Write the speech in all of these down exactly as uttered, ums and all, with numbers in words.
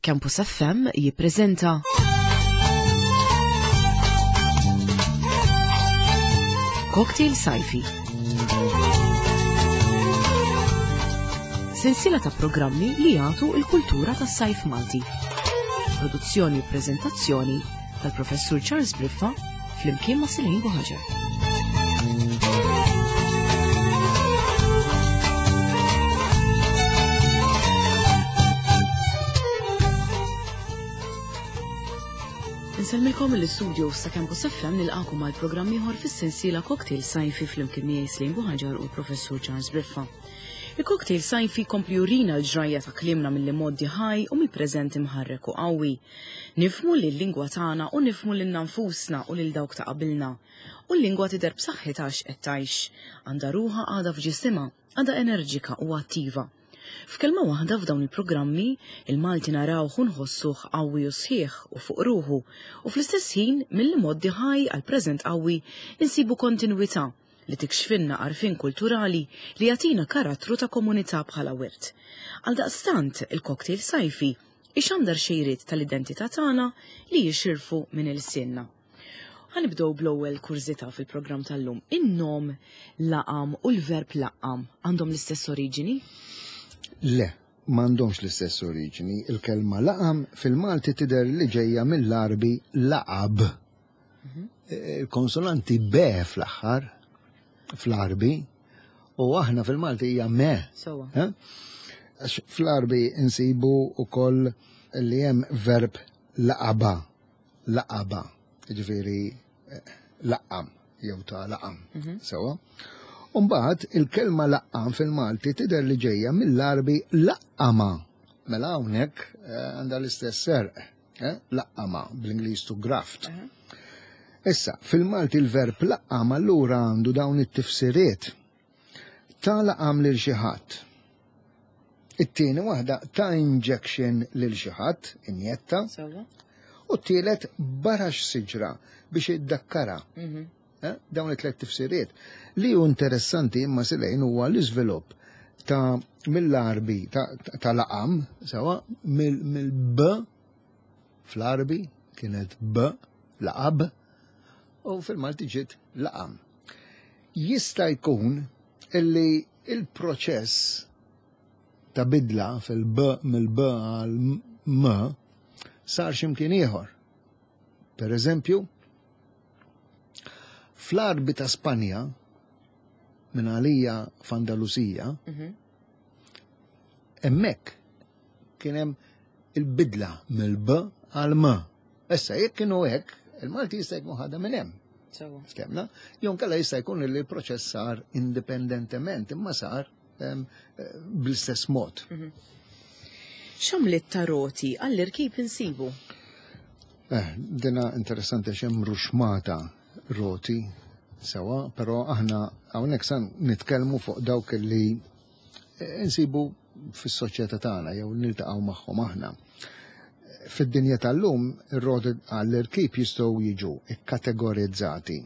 Campus F M jippreżenta Cocktail Sajfi. Sensiela ta' programmi li jagħtu l-kultura tas-sajf Malti. Produzzjoni u preżentazzjoni tal-Professur Charles Briffa flimkien ma' Celine Buhaġar. Insellmilkom mill-istudio ta' Campus F M nilqakom għal programm ieħor fis-sensiela Cocktail Sajfi flimkien miegħi Celine Buhaġar u l-Professur Charles Briffa. Il-Cocktail Sajfi kompli jurina l-ġrajja ta' kliemna mill-modi ħaj u mill-preżent imħarrek u qawwi. Nifhmu li l-lingwa tagħna u nifhmu lilna nfusna u lil dawk ta' qabilna. U l-lingwa tidher b'saħħitha għax qed tgħix. Għandha ruħha għadha f'ġisimha, għadha enerġika u attiva. F'kelma waħda f'dawn il-programmi, il-Malti narawh u nħossuh qawwi u sħiħ u fuq ruħu, u fl-istess ħin mill-modi ħaj għal preżent qawwi insibu kontinwità li tikxfinna għarfien kulturali li jagħtina karattru ta' komunità bħala wirt. Għaldaqstant, il-Cocktail Sajfi ixandar xejriet tal-identità tagħna li jixirfu minn ilsienna. Ħanibdew bl-ewwel kurżità fil-programm tal-lum. In-nom laqam u l-verb laqam għandhom l-istess oriġini? Le, m'għandhomx l-istess oriġini. Il-kelma laqam fil-Malti tidher li ġejja mill-Għarbi laqab. Mhm. Il-konsonanti B fl-aħħar, fl-Għarbi, u aħna fil-Malti hija me. Sewwa. Eh? Għax fl-Għarbi insibu wkoll li hemm verb laqaba, laqaba, jiġifieri, eh, laqam jew ta' laqam. Mhm. Sewwa. Umbagħad il-kelma laqqam fil-Malti tidher li ġejja mill-Għarbi laqqama. Mela hawnhekk, eh, għandha l-istess serq, eh? Laqqama bl-Ingliż to graft. Mhm. Issa, fil-Malti l-verb laqqam allura għandu dawn it-tifsiriet. Ta' laqam lil xi ħadd. It-tieni waħda ta' injection lil xi ħadd, injetta. Sewwa. U t-tielet barax siġra biex iddakkara. Mhm. Eh, dawn it-tliet tifsiriet. Li hu interessanti imma Silejn huwa l-iżvilupp ta' mill-Għarbi ta', ta' laqam, sewa, mill-, mill-B fl-Għarbi kienet B, laqab, u fil-Malti ġiet laqam. Jista' jkun illi il-proċess ta' bidla fil-B mill-B għal M sar x'imkien ieħor. Per eżempju, fl-Għarbi ta' Spanja, minn għalija f'Andalusija, Mhm. hemmhekk kien hemm il-bidla mill-B għal M. Issa jekk kienu hekk, il-Malti jista' jkun ħadha minn hemm. Sewwa. Stemna, jew inkella jista' jkun li l-proċess sar indipendentement, imma sar, em, bl-istess mod. Mhm. X'għamliet ta' roti għall-irkib insibu? Eh, dina interessanti għax hemm ruxmata roti sewa, però aħna hawnhekk san nitkellmu fuq dawk li insibu fis-soċjetà tagħna jew niltaqgħu magħhom aħna. Fid-dinja tal-lum ir-roti għall-irkib jistgħu jiġu kkategorizzati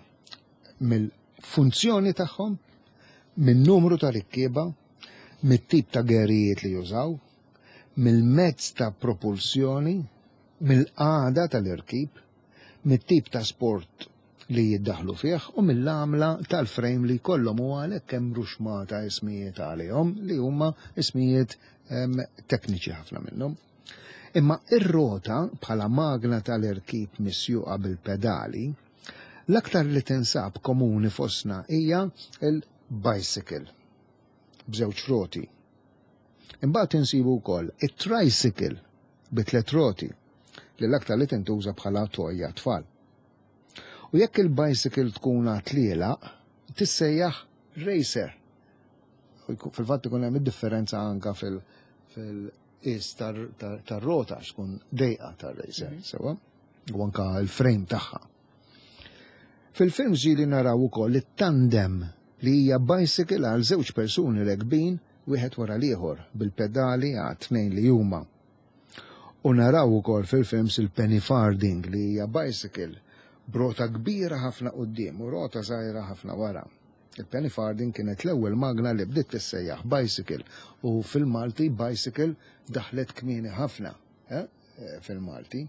mill-funzjoni tagħhom, min-numru ta' rikkieba, mit-tip ta' gerijiet li jużaw, mill-mezz ta' propulsjoni, mill-qagħda tal-irkib, mit-tip ta' sport li jiddaħlu fih u mill-għamla tal-frame li jkollhom, u għalhekk hemm ruxmata ismijiet għalihom li huma ismijiet, em, tekniċi ħafna minnhom. Imma ir-rota bħala magna tal-irkib misjuqa bil-pedali, l-aktar li tinsab komuni fostna hija il-bicycle b'żewġ roti. Imbagħad insibu wkoll it-tricycle bi tliet roti li l-aktar li tintuża bħala toja tfal. U jekk il-bicycle tkun għatliela, tissejjaħ racer. U jkun-, fil-fatt ikun hemm id-differenza anka fil-, fil-qis tar-, tar-, tar-rota, x'tkun dejqa tar-racer, Mhm. sewa, u anka l-frame tagħha. Fil-film ġieli naraw ukoll it-tandem li hija bicycle għal żewġ persuni rekbin wieħed wara l-ieħor bil-pedali għal tnejn li huma. U naraw ukoll fil-films il-penny farthing li hija bicycle b'rota kbira ħafna quddiem u rota żgħira ħafna wara. Il-penny farthing kienet l-ewwel magna li bdiet tissejjaħ bicycle u fil-Malti bicycle daħlet kmieni ħafna. Eh? fil-Malti.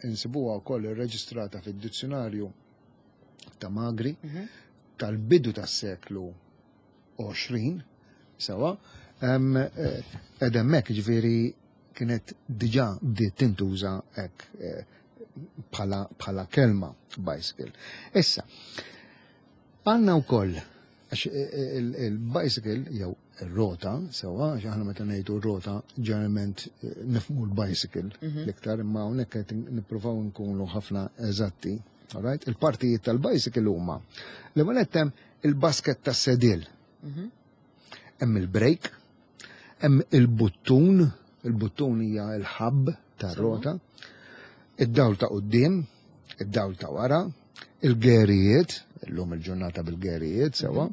Insibuha wkoll irreġistrata fid-dizzjonarju ta' Magri tal-bidu tas-seklu għoxrin, sewa, ed hemmhekk ġifieri kienet diġà bdiet tintuża hekk bħala kelma bicycle. Issa, għandna wkoll għax il-bicycle jew ir-rota, sewa, għax aħna meta ngħidu r-rota ġeneralment nifhmu l-bicycle l-iktar, imma hawnhekk qed nippruvaw nkunu ħafna eżatti. Alright? Il-partijiet tal-bicycle huma l-ewwel qed hemm il-basket tas-sedil. Hemm il-brake, hemm il-buttun, il-buttun hija l-ħabb tar-rota, id-dawl ta' quddiem, id-dawl ta' wara, il-gerijiet, illum il-ġurnata bil-gerijiet sewa,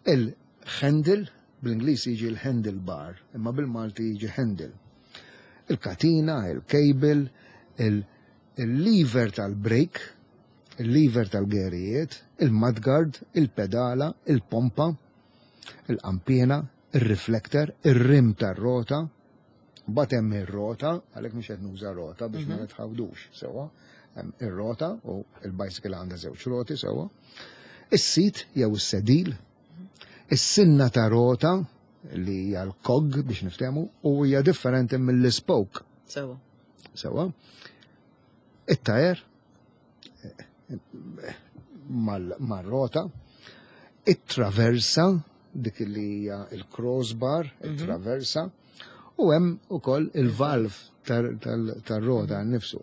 il-handle, bl-Ingliż jiġi l-handle bar, imma bil-Malti jiġi handle. Il-katina, il-cable, il-lever tal-brake, il-lever tal-gerijiet, il-mudguard, il-pedala, il-pompa, il-qampina, il-reflector, il-rim tar-rota, mbagħad hemm ir-rota, għalhekk mhux qed nuża rota biex ma nitħawdux sewa. Hemm ir-rota u il-bicycle għandha żewġ roti sewa. Is-seat jew is-sedil, is-sinna ta' rota li hija l-cog biex niftehmu u hija differenti mill-spoke. Sewa. Sewa. It-tajer mar-rota, it-traversa, dik li hija il-crossbar, it-traversa, u hemm ukoll il-valve tar-rota nnifsu.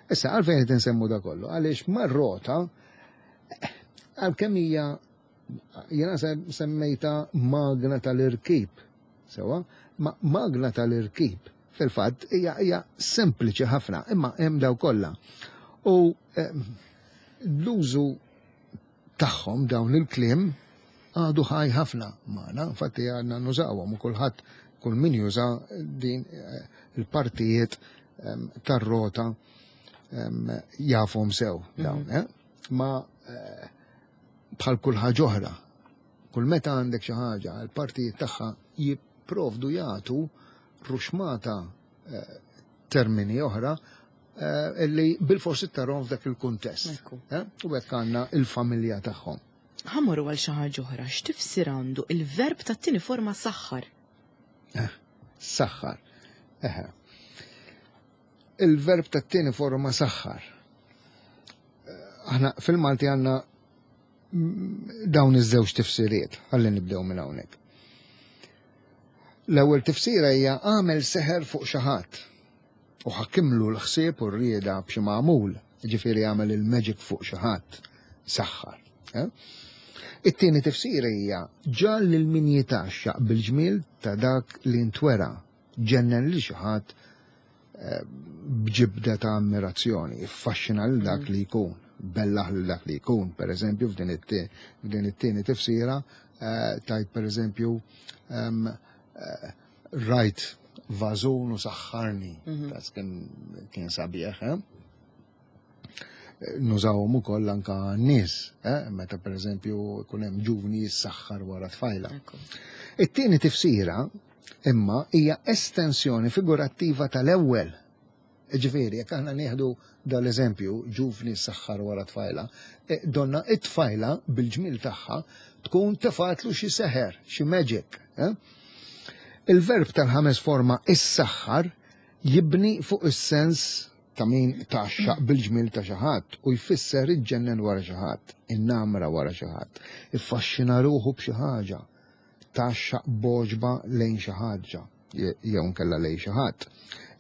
Issa, għalfejn qed insemmu da kollu? Għaliex mar-rota, għalkemm hija jiena semmejta magna tal-irkib, sewa, ma magna tal-irkib fil-fatt hija hija sempliċi ħafna, imma hemm daw kollha. U l-użu tagħhom dawn il-kliem għadu ħaj ħafna magħna, infatti għandna nużawhom u kulħadd kull min juża din il-partijiet tar-rota jafhom sew dawn, eh? Ma bħal kull ħaġa oħra, kull meta għandek xi ħaġa, il-partijiet tagħha jipprovdu jagħtu ruxmata termini oħra illi bil-forsi tarhom f'dak il-kuntest. U hekk għandna il-familja tagħhom. Ħa mmorru għal xi ħaġa oħra, x'tifsir għandu il-verb tat-tieni forma saħħar? Saħħar. Eħe. Il-verb tat-tieni forma saħħar. Aħna fil-Malti għandna dawn iż-żewġ tifsiriet, ħalli nibdew minn hawnhekk. L-ewwel tifsira hija għamel seħer fuq xi ħadd u ħakkimlu l-ħsieb u r-rieda b'xi magħmul, ġifieri għamel il-magic fuq xi ħadd, saħħar. It-tieni tifsira hija ġal lil min jitgħaxxaq bil-ġmiel ta' dak li ntwera, ġennen lil xi ħadd b'ġibda ta' ammirazzjoni, iffaxxina lil dak li jkun, bellaħ lil dak li jkun. Per eżempju, f'din it-tieni tifsira tajt per eżempju rajt vażun u saħħarni, tas kien sabiħ, eh? Nużawhom ukoll anka n-nies, eh? Meta per eżempju jkun hemm ġuvni jissaħħar wara tfajla. It-tieni tifsira imma hija estensjoni figurattiva tal-ewwel. Ġifieri, jekk aħna nieħdu dal-eżempju, ġuvni saħħar wara tfajla, donna it-tfajla bil-ġmil tagħha tkun tefatlu xi seħer, xi magic. Eh? Il-verb tal-ħames forma issaħħar jibni fuq is-sens ta' min taxxaq bil-ġmil ta' xi ħadd u jfisser iġġennen wara xi ħadd, innamra wara xi ħadd, iffaxxina ruħu b'xi ħaġa, taxxaq boġba lejn xi ħaġa jew nkella lejn xi ħadd.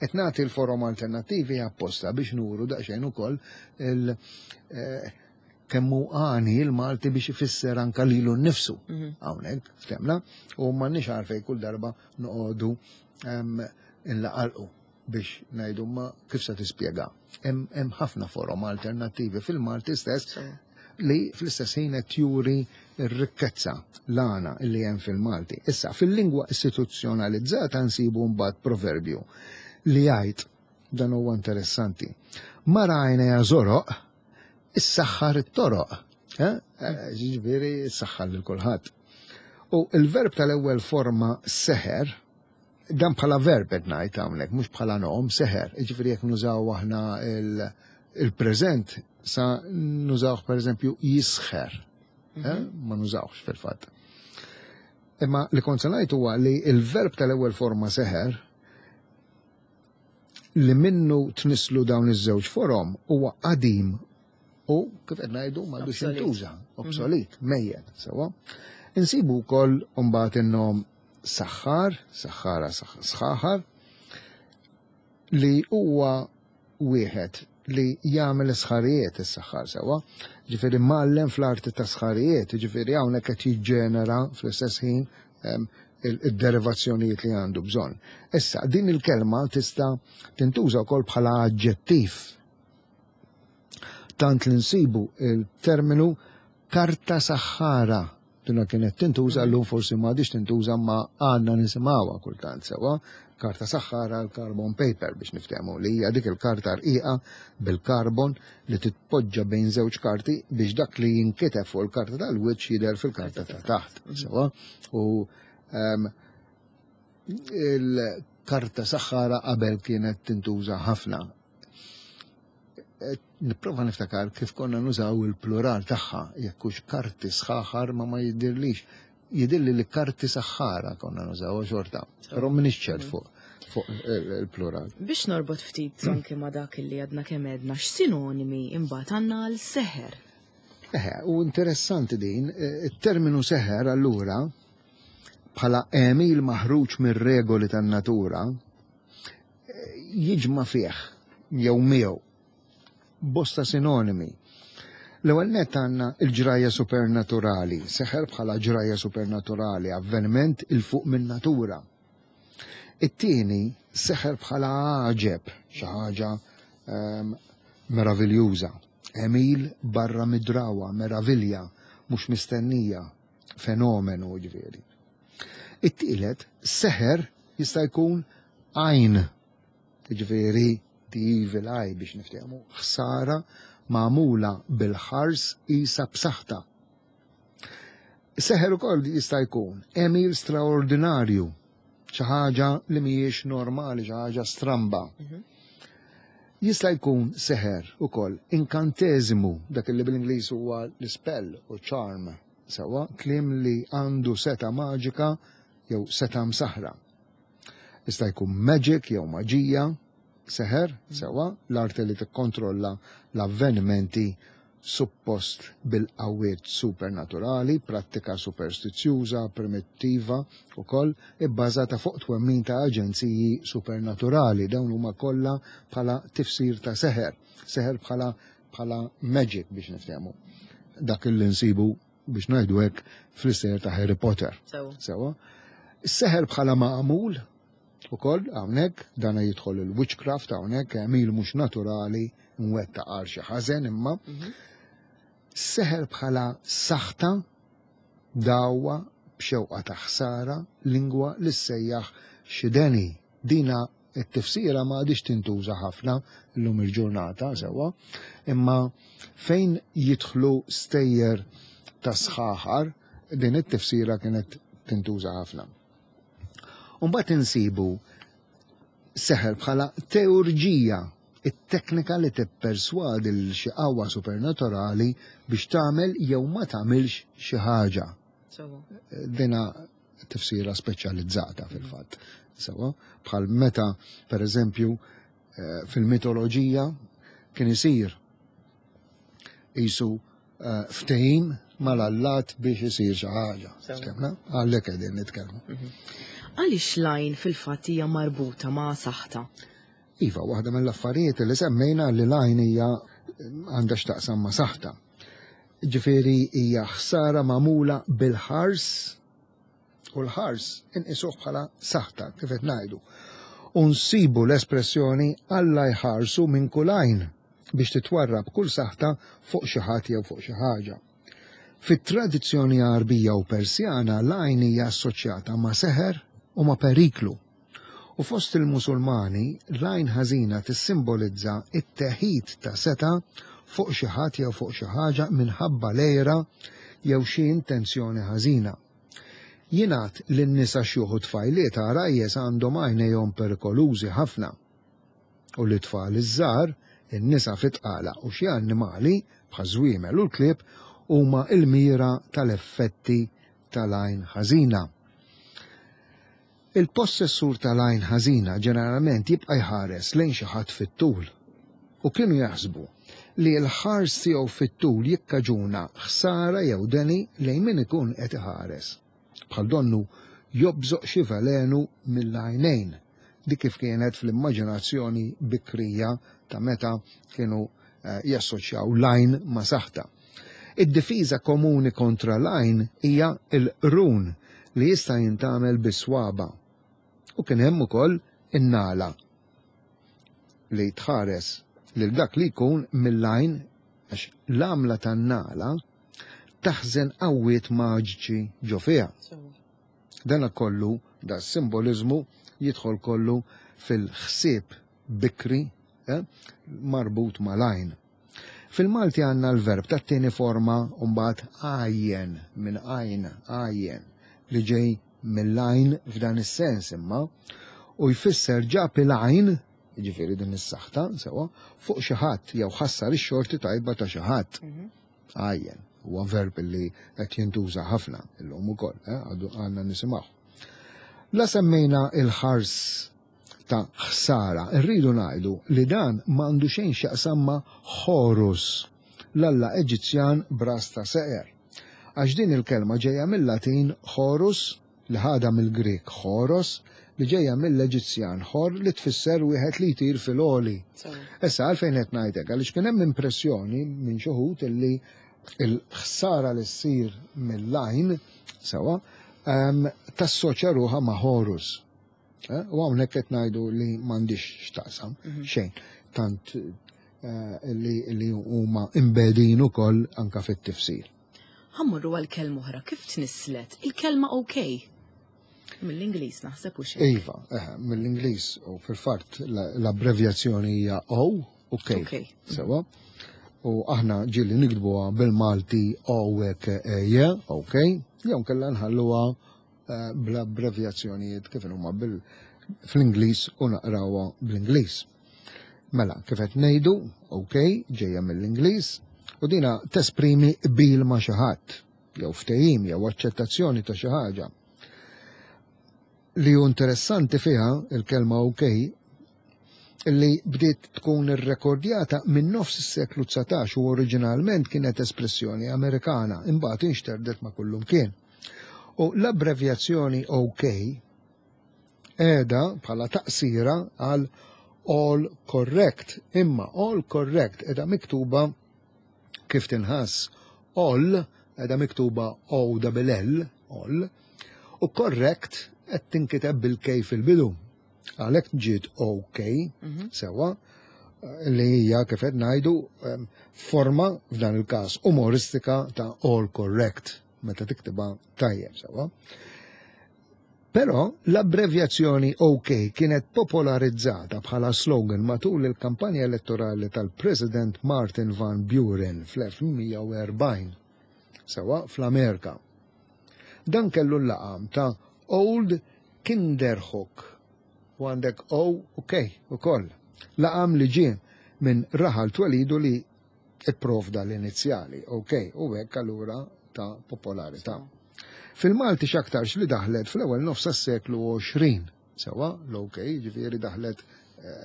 Qed nagħti l-forom alternattivi apposta biex nuru daqsxejn ukoll il kemm hu għani l-Malti biex ifisser anka lilu nnifsu. Hawnhekk ftemna u m'għandniex għalfejn kull darba noqogħdu nlaqalqu biex ngħidu ma kif se tispjega. Hemm ħafna forom alternattivi fil-Malti stess li fl-istess ħin qed juri r-rikkezza l-għana li hemm fil-Malti. Issa, fil-lingwa istituzzjonalizzata nsibu mbagħad proverbju li jgħid, dan huwa interessanti, mara għajnejha żoroq, issaħħar it-toroq. Ġifieri issaħħar lil kulħadd. U il-verb tal-ewwel forma seħer, Dan bħala verb qed ngħid hawnhekk, mhux bħala nom, seħer. Jiġifieri jekk nużaw aħna il-preżent sa nużawh pereżempju jisħer. Eh? Ma nużawx fil-fatt. Imma li kont se ngħid huwa li il-verb tal-ewwel forma seħer li minnu tnislu dawn iż-żewġ forom huwa qadim u kif qed ngħidu m'għadux jintuża, obsolet, mejjet, sewwa. Insibu wkoll mbagħad in-nom saħħar, saħħara, sħaħar, li huwa wieħed li jagħmel sħarijiet is-saħħar sewwa. Ġifieri mgħallem fl-arti ta' sħarijiet, ġifieri hawnhekk qed jiġġenera fl-istess ħin id-derivazzjonijiet li għandu bżonn. Issa, din il-kelma tista' tintuża wkoll bħala aġġettiv. Tant li nsibu il-terminu karta saħħara. Dina kienet tintuża llum forsi m'għadix tintuża ma għandna nisimgħuha kultant sewwa. Karta saħħara l-carbon paper biex niftehmu li hija dik il-karta rqiqa bil-karbon li titpoġġa bejn żewġ karti biex dak li jinkiteb fuq il-karta tal-wiċċ jidher fil-karta ta' taħt. Sewwa. U il-karta saħħara qabel kienet tintuża ħafna. Nipprova niftakar kif konna nużaw il-plural tagħha, jekk hux karti sħaħar ma ma jiddirlix. Jidilli li karti saħħara konna nużaw xorta, però m'iniex ċert fuq fuq il-plural. Biex norbot ftit anke ma dak li għadna kemm għedna, x'sinonimi imbagħad għandna għal seħer? Eħe, u interessanti din, it-terminu seħer allura bħala għemil maħruġ mir-regoli tan-natura jiġma' fih jew miegħu bosta sinonimi. L-ewwel nett għandna l-ġrajja supernaturali, seħer bħala ġrajja supernaturali, avveniment il fuq minn natura. It-tieni seħer bħala għaġeb, xi ħaġa ehm, meraviljuża, għemil barra mid-drawwa, meravilja, mhux mistennija, fenomenu ġifieri. It-tielet, seħer jista' jkun għajn, ġifieri the evil eye biex niftehmu, ħsara magħmula bil-ħars isa b'saħħta. Seħer ukoll jista' jkun għemil straordinarju, xi ħaġa li mhijiex normali, xi ħaġa stramba. Jista' jkun seħer ukoll inkanteżimu, dak li bil-Ingliż huwa l-spell u charm, sewwa kliem li għandu seta' maġika jew seta' msaħra. Jista' jkun magic jew maġija, seħer, sewwa, l-arti li tikkontrolla l-avvenimenti suppost bil-qawwiet supernaturali, prattika superstizzjuża, primittiva ukoll ibbażata fuq twemmin ta' aġenziji supernaturali. Dawn huma kollha bħala tifsir ta' seħer, seħer bħala bħala magic biex niftehmu. Dak li nsibu biex ngħidu hekk fl-istejjer ta' Harry Potter. Sewwa. Seħer bħala maqmul ukoll hawnhekk dana jidħol il-witchcraft hawnhekk għemil mhux naturali mwetta għal xi ħażen imma seħer bħala saħta dawwa b'xewqa ta' ħsara lingwa li ssejjaħ xi deni. Dina it-tifsira ma għadix tintuża ħafna llum il-ġurnata sewwa, imma fejn jidħlu stejjer ta' sħaħar din it-tifsira kienet tintuża ħafna. Umbagħad insibu seħer bħala teurġija, it-teknika li tipperswadi l xi qawwa supernaturali biex tagħmel jew ma tagħmilx xi ħaġa. Dina tifsira speċjalizzata fil-fatt. Sewwa, bħal meta per eżempju fil-mitoloġija kien isir isu ftehim mal-allat biex isir xi ħaġa. Ftemna? Għalhekk qegħdin nitkellmu. Għaliex l-għajn fil-fatt hija marbuta ma' saħta? Iva, waħda mill-affarijiet li semmejna li l-għajn hija għandha x'taqsam ma' saħta. Ġifieri hija ħsara magħmula bil-ħars u l-ħars inqisuh bħala saħta, kif qed ngħidu. U nsibu l-espressjoni Alla jħarsu minn kull għajn biex titwarrab kull saħta fuq xi ħadd jew fuq xi ħaġa. Fit-tradizzjoni Għarbija u Persjana l-għajn hija assoċjata ma' seħer u ma' periklu. U fost il-Musulmani l-għajn ħażina tissimbolizza it-teħid ta' seta' fuq xi ħadd jew fuq xi ħaġa minħabba l-għira jew xi intenzjoni ħażina. Jingħad li n-nisa xjuħ u tfajliet għarajjes għandhom għajnejhom perikolużi ħafna. U li tfal iż-żgħar, in-nisa fit-tqala u xi annimali bħaż-żwiemel u l-klieb huma l-mira tal-effetti tal-għajn ħażina. Il-possessur tal-għajn ħażina ġeneralment jibqa' jħares lejn xi ħadd fit-tul. U kienu jaħsbu li l-ħars tiegħu fit-tul jikkaġuna ħsara jew deni lejn min ikun qed iħares. Bħal donnu jobżoq xi velenu mill-għajnejn. Dik kif kienet fl-immaġinazzjoni bikrija ta' meta kienu eh, jassoċjaw l-għajn ma' saħta. Id-difiża komuni kontra l-għajn hija l-qrun li jista' jintgħamel bis-swaba. U kien hemm ukoll in-nala li tħares lil dak li jkun mill-għajn għax l-għamla tan-nala taħżen qawwiet maġiċi ġo fiha. Dan kollu, da simboliżmu jidħol kollu fil-ħsieb bikri eh, marbut mal-għajn. Fil-Malti għandna l-verb tat-tieni forma mbagħad għajjen minn għajn, għajjen, li ġej mill-għajn f'dan is-sens imma u jfisser ġab il-għajn, jiġifieri din is-saħta, sewa, fuq xi ħadd jew ħassar ix-xorti tajba ta' xi ħadd. Għajjen, huwa verb li qed jintuża ħafna illum ukoll, eh, għadu għandna nisimgħu. La semmejna il-ħars ta' ħsara, irridu ngħidu li dan m'għandu xejn x'jaqsam ma' Horus, l-alla Eġizzjan b'ras ta' seqer. Għax din il-kelma ġejja mill-Latin Horus, li ħadha mill-Grek Horos, li ġejja mill-Eġizzjan Hor li tfisser wieħed li jtir fil-għoli. Issa għalfejn qed ngħidlek, għaliex kien hemm impressjoni minn xi wħud illi il-ħsara li ssir mill-għajn sewa ehm, tassoċja ruħha ma' Horus. Eh, U hawnhekk qed ngħidu li m'għandix x'taqsam xejn tant eh, li li huma imbedin ukoll anka fit-tifsir. Ħa mmorru għal kelma oħra, kif tnisslet il-kelma OK? Mill-Ingliż naħseb u xejn. Iva, eh, mill-Ingliż u fil-fatt la- l-abbrevjazzjoni hija O u K. Ok. Sewa. U aħna ġieli niktbuha bil-Malti O E K E J, OK, jew kellha nħalluha eh, bl-abbrevjazzjonijiet kif huma bil fl-Ingliż u naqrawha bl-Ingliż. Mela, kif qed ngħidu, OK, ġejja mill-Ingliż, u dina tesprimi qbil ma' xi ħadd, jew ftehim jew aċċettazzjoni ta' xi ħaġa. Li hu interessanti fiha il-kelma OK li bdiet tkun irrekordjata minn nofs is-seklu dsatax u oriġinalment kienet espressjoni Amerikana, imbagħad inxterdet ma' kullum kien. U l-abbrevjazzjoni OK qiegħda bħala taqsira għal all correct, imma all correct qiegħda miktuba kif tinħass all qiegħda miktuba O double L, all, u correct qed tinkiteb bil-K fil-bidu. Għalhekk ġiet OK, sewa, li hija kif qed ngħidu em, forma f'dan il-każ umoristika ta' all correct meta tiktibha tajjeb sewa. Però l-abbrevjazzjoni OK kienet popolarizzata bħala slogan matul il-kampanja elettorali tal-President Martin Van Buren fl-elf dmien mija u erbgħin, sewa, fl-Amerika. Dan kellu l-laqam ta' Old Kinderhook u għandek O u K u koll. Laqam li ġie minn raħal twelidu li ipprovda l-inizjali, OK, u hekk allura ta' popolarità. Fil-Malti x'aktarx li daħlet fl-ewwel nofs tas-seklu għoxrin, sewa, l-OK, ġifieri daħlet eh,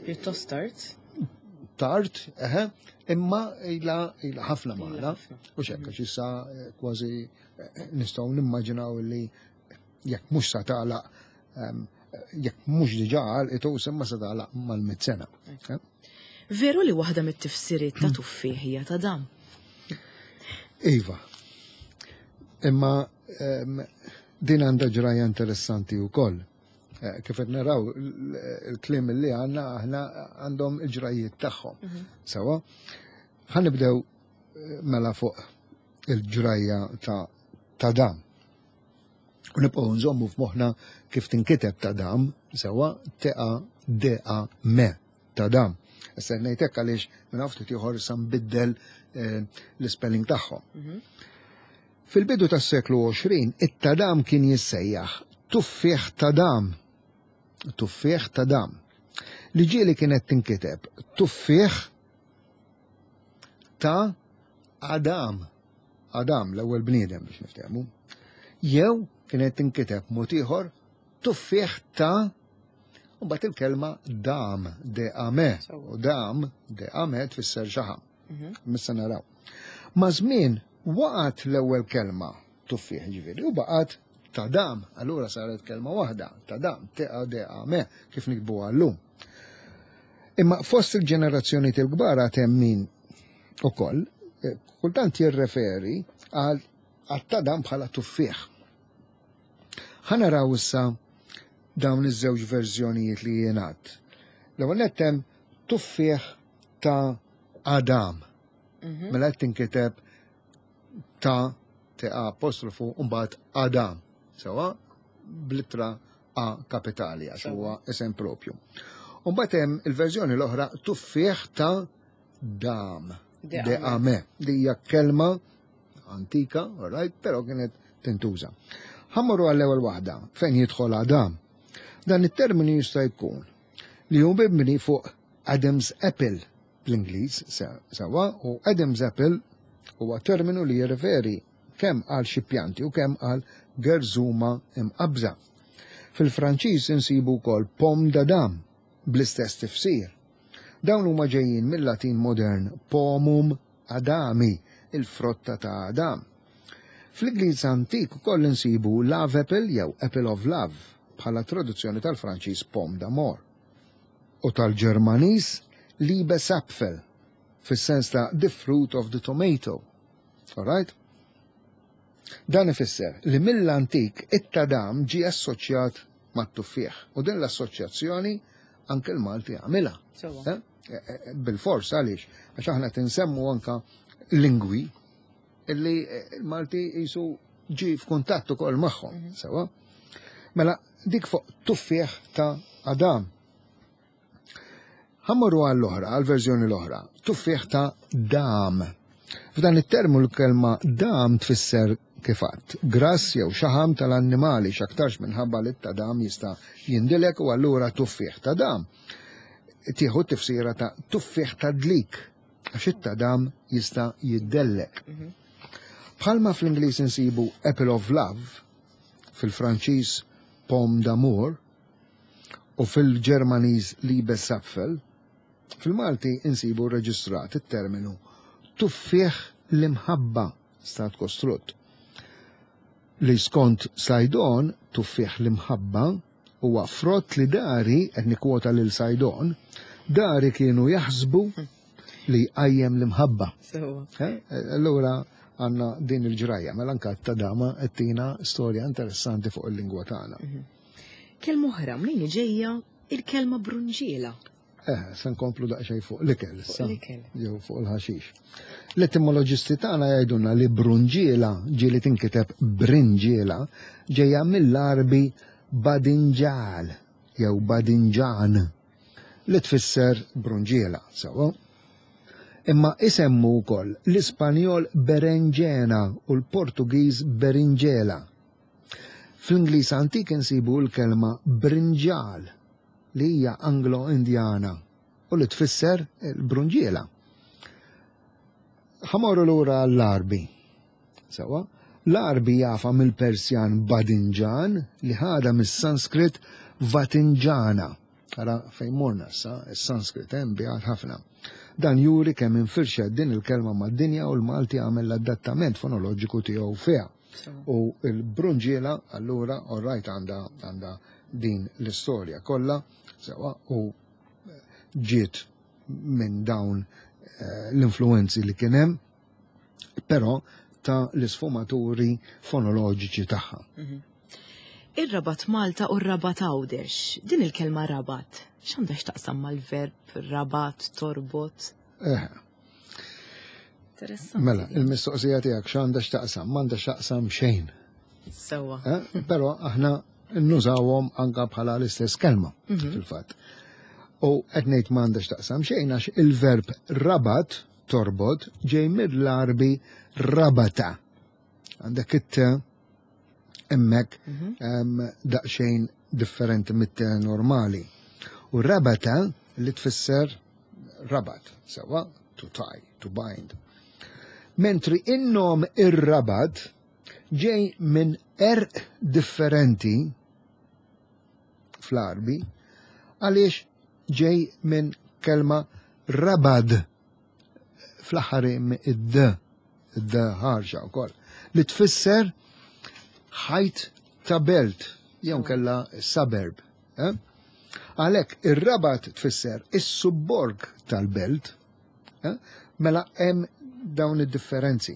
Pjuttost tard. Tard, eħe, imma ila ila ħafna magħna. Ħafna. U xekka issa eh, kważi eh, nistgħu nimmaġinaw li jekk mhux sa tagħlaq em, jekk mhux diġà għalqet imma sa tagħlaq mal-mitt sena. Eh? Veru li waħda mit-tifsiriet ta' tuffieħ hija ta' dam? Iva. Imma em, din għandha ġraja interessanti wkoll. Eh, Kif qed naraw l- il-kliem li għandna aħna għandhom il-ġrajiet tagħhom. Sewa, ħa nibdew eh, mela fuq il-ġrajja ta' ta' dam. U nibqgħu nżommu f'moħħna kif tinkiteb ta' dam, sewa T A D A M ta' dam. Issa ngħidlek għaliex minn ftit ieħor sa nbiddel eh, l-spelling tagħhom. Fil-bidu tas-seklu għoxrin, it-tadam kien jissejjaħ tuffieħ tadam. Tuffieħ tadam. Li ġieli kienet tinkiteb tuffieħ ta' Adam. Adam, l-ewwel bniedem biex niftehmu. Jew kienet tinkiteb mod ieħor tuffieħ ta' u mbagħad il-kelma dam, de ame. U dam, de ame tfisser xaħam. Missa naraw. Ma' żmien waqgħet l-ewwel kelma tuffieħ ġifieri u baqgħet ta' dam, allura saret kelma waħda, ta' dam, T A D A M, kif nikbu llum. Imma fost il-ġenerazzjoni il-kbar għad hemm min ukoll, kultant jirreferi għal tadam bħala tuffieħ. Ħa naraw issa dawn iż-żewġ verżjonijiet li jingħad. L-ewwel nett hemm tuffieħ ta' Adam. Mela qed tinkiteb ta' T A apostrofu u mbagħad Adam. Sewwa bl-ittra A kapitali għax huwa isem propju. U mbagħad hemm il-verżjoni l-oħra tuffieħ ta' dam. De ame, li hija kelma antika, all right, però kienet tintuża. Ħammorru għall-ewwel waħda fejn jidħol Adam. Dan it-terminu jista' jkun li hu mibni fuq Adam's Apple bl-Ingliż sewwa, u Adam's Apple huwa terminu li jirreferi kemm għal xi pjanti u kemm għal gerżuma imqabża. Fil-Franċiż insibu wkoll pomme d'Adam bl-istess tifsir. Dawn huma ġejjin mill-Latin modern pomum Adami, il-frotta ta' Adam. Fl-Ingliż antik ukoll insibu love apple jew apple of love bħala traduzzjoni tal-Franċiż pomme d'amour u tal-Ġermaniż Liebesapfel fis-sens ta' the fruit of the tomato. All right? Dan ifisser li mill-antik it-tadam ġie assoċjat mat-tuffieħ u din l-assoċjazzjoni anke l-Malti għamilha. Eh? Bil-fors għaliex, għax aħna tinsemmu anka lingwi illi l-Malti jisu ġi f'kuntatt ukoll magħhom, sewa. Mela dik fuq tuffieħ ta' Adam. Ħammorru għall-oħra, għall-verżjoni l-oħra, tuffieħ ta' dam. F'dan it-termu l-kelma dam tfisser kif għadt, grass jew xaħam tal-annimali x'aktarx minħabba li t-tadam jista' jindilek u allura tuffieħ ta' dam. Tieħu tifsira ta' tuffieħ ta' dlik, għax it-tadam jista' jiddellek. Bħalma fl-Ingliż insibu Apple of Love, fil-Franċiż Pomme d'amour u fil-Ġermaniż Liebesapfel, fil-Malti insibu reġistrat it-terminu tuffieħ l-imħabba stat kostrutt. Li skont Saydon, tuffieħ l-imħabba huwa frott li dari, qed nikkwota lil Saydon, dari kienu jaħsbu li jqajjem l-imħabba. Allura għandna din il-ġrajja, mela anke t-tadama qed storja interessanti fuq il-lingwa tagħna. Kelma oħra, mnejn ġejja il-kelma brunġiela. Eh, se nkomplu daqsxejn fuq l-ikel issa. Jew fuq il-ħaxix. L-etimoloġisti tagħna jgħidulna li brunġiela ġieli tinkiteb brinġiela ġejja mill-Arbi badinġal jew badinġan li tfisser brunġiela, sewwa. Imma isemmu wkoll l-Ispanjol berenġena u l-Portugiż berinġela. Fl-Ingliż antik insibu l-kelma brinġal li hija Anglo-Indjana u li tfisser il-brunġiela. Ħamorru lura l-Arbi. Sewwa, l-Arbi jafa mill-Persjan badinġan li ħada mis-Sanskrit vatinġana. Ara fejn morna issa, is-Sanskrit hemm biha ħafna. Dan juri kemm infirxet din il-kelma mad-dinja u l-Malti għamel l-adattament fonoloġiku tiegħu fiha. U l-brunġiela allura orrajt għandha għandha din l-istorja kollha sewwa u ġiet minn dawn l-influenzi li kien hemm, però ta' l-isfumaturi fonoloġiċi tagħha. Ir-Rabat Malta u r-Rabat Għawdex, din il-kelma rabat, x'għandha x'taqsam mal-verb rabat, torbot? Eh. Interessanti. Mela, il-mistoqsija tiegħek x'għandha x'taqsam, m'għandha x'taqsam xejn. Sewwa. Eh? Però aħna nużawhom anka bħala l-istess kelma fil-fatt. U qed ngħid m'għandha x'taqsam xejn għax il-verb rabat, torbot, ġej mill-Arbi rabata. Għandek it-te hemmhekk em, daqsxejn differenti mit-te normali. U rabata li tfisser rabat, sewwa, to tie, to bind. Mentri in-nom ir-Rabat ġej minn għerq differenti fl-Arbi, għaliex ġej minn kelma rabad fl-aħħar id-d, id-d ħarxa wkoll, li tfisser ħajt ta' belt, jew kella suburb. Eh? Għalhekk ir-Rabat tfisser is-subborg tal-belt, eh? Mela hemm dawn id-differenzi.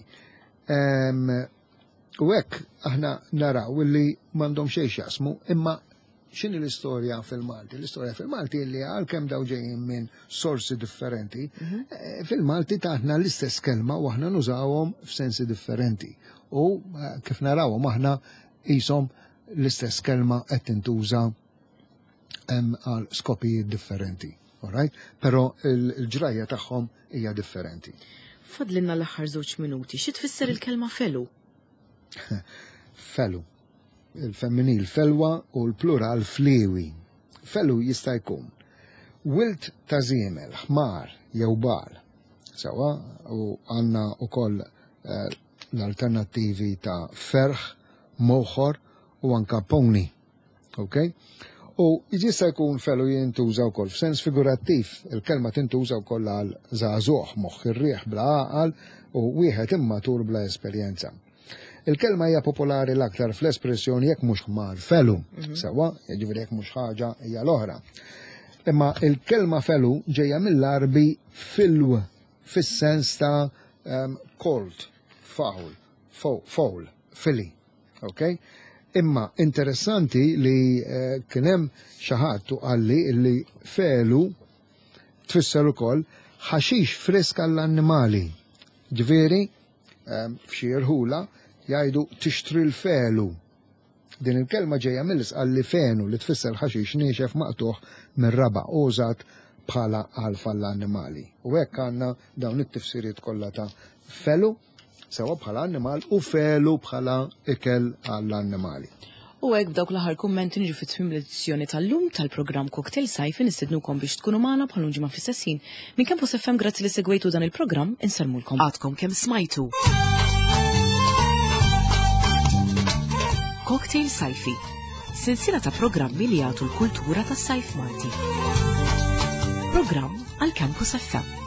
Em, U hekk aħna naraw illi m'għandhom xejn x'jaqsmu, imma x'inhi l-istorja fil-Malti? L-istorja fil-Malti li għalkemm daw ġejjin minn sorsi differenti, eh, fil-Malti taħna l-istess kelma u aħna nużawhom f'sensi differenti. U eh, kif narawhom aħna qishom l-istess kelma qed tintuża hemm għal skopijiet differenti. Alright? Però il-ġrajja tagħhom hija differenti. Fadlinna l-aħħar żewġ minuti. Xi tfisser il-kelma felu? Felu. Il-femminil felwa u l-plural fliwi. Felu jista' jkun wild ta' żiemel, ħmar jew bagħal. Sewwa, u għandna wkoll eh, l-alternattivi ta' ferħ, moħor u anka pony. Ok? U jista' jkun felu jintuża wkoll f'sens figurattiv, il-kelma tintuża wkoll għal żagħżugħ, moħħ ir-riħ bla għaqal u wieħed immatur bla esperjenza. Il-kelma hija popolari l-aktar fl-espressjoni jekk mhux ħmar felu, sewwa, jiġifieri jekk mhux ħaġa hija l-oħra. Imma il-kelma felu ġejja mill-Arbi filw, fis-sens ta' um, colt, fowl, fowl, filly. Ok? Imma interessanti li uh, kien hemm xi ħadd u qalli li felu tfisser ukoll ħaxix frisk għall-annimali. Ġifieri, um, f'xi irħula jgħidu tixtri l-felu. Din il-kelma ġejja mill-Isqalli fenu li tfisser ħaxix niexef maqtuħ mir-raba' użat bħala għalf għall-annimali. U hekk għandna dawn it-tifsiriet kollha ta' felu, sewwa bħala annimal u felu bħala ikel għall-annimali. U hekk b'dawk l-aħħar kummenti niġu fi tmiem l-edizzjoni tal-lum tal-programm Cocktail Sajfi. Nistednukom biex tkunu magħna bħal ġimgħa fl-istess ħin. Minn Campus F M, grazzi li segwejtu dan il-programm, insellmulkom. Għadkom kemm smajtu. Cocktail Sajfi, silsila ta' programmi li jagħtu l-kultura tas-sajf Malti. Programm għal Campus F M.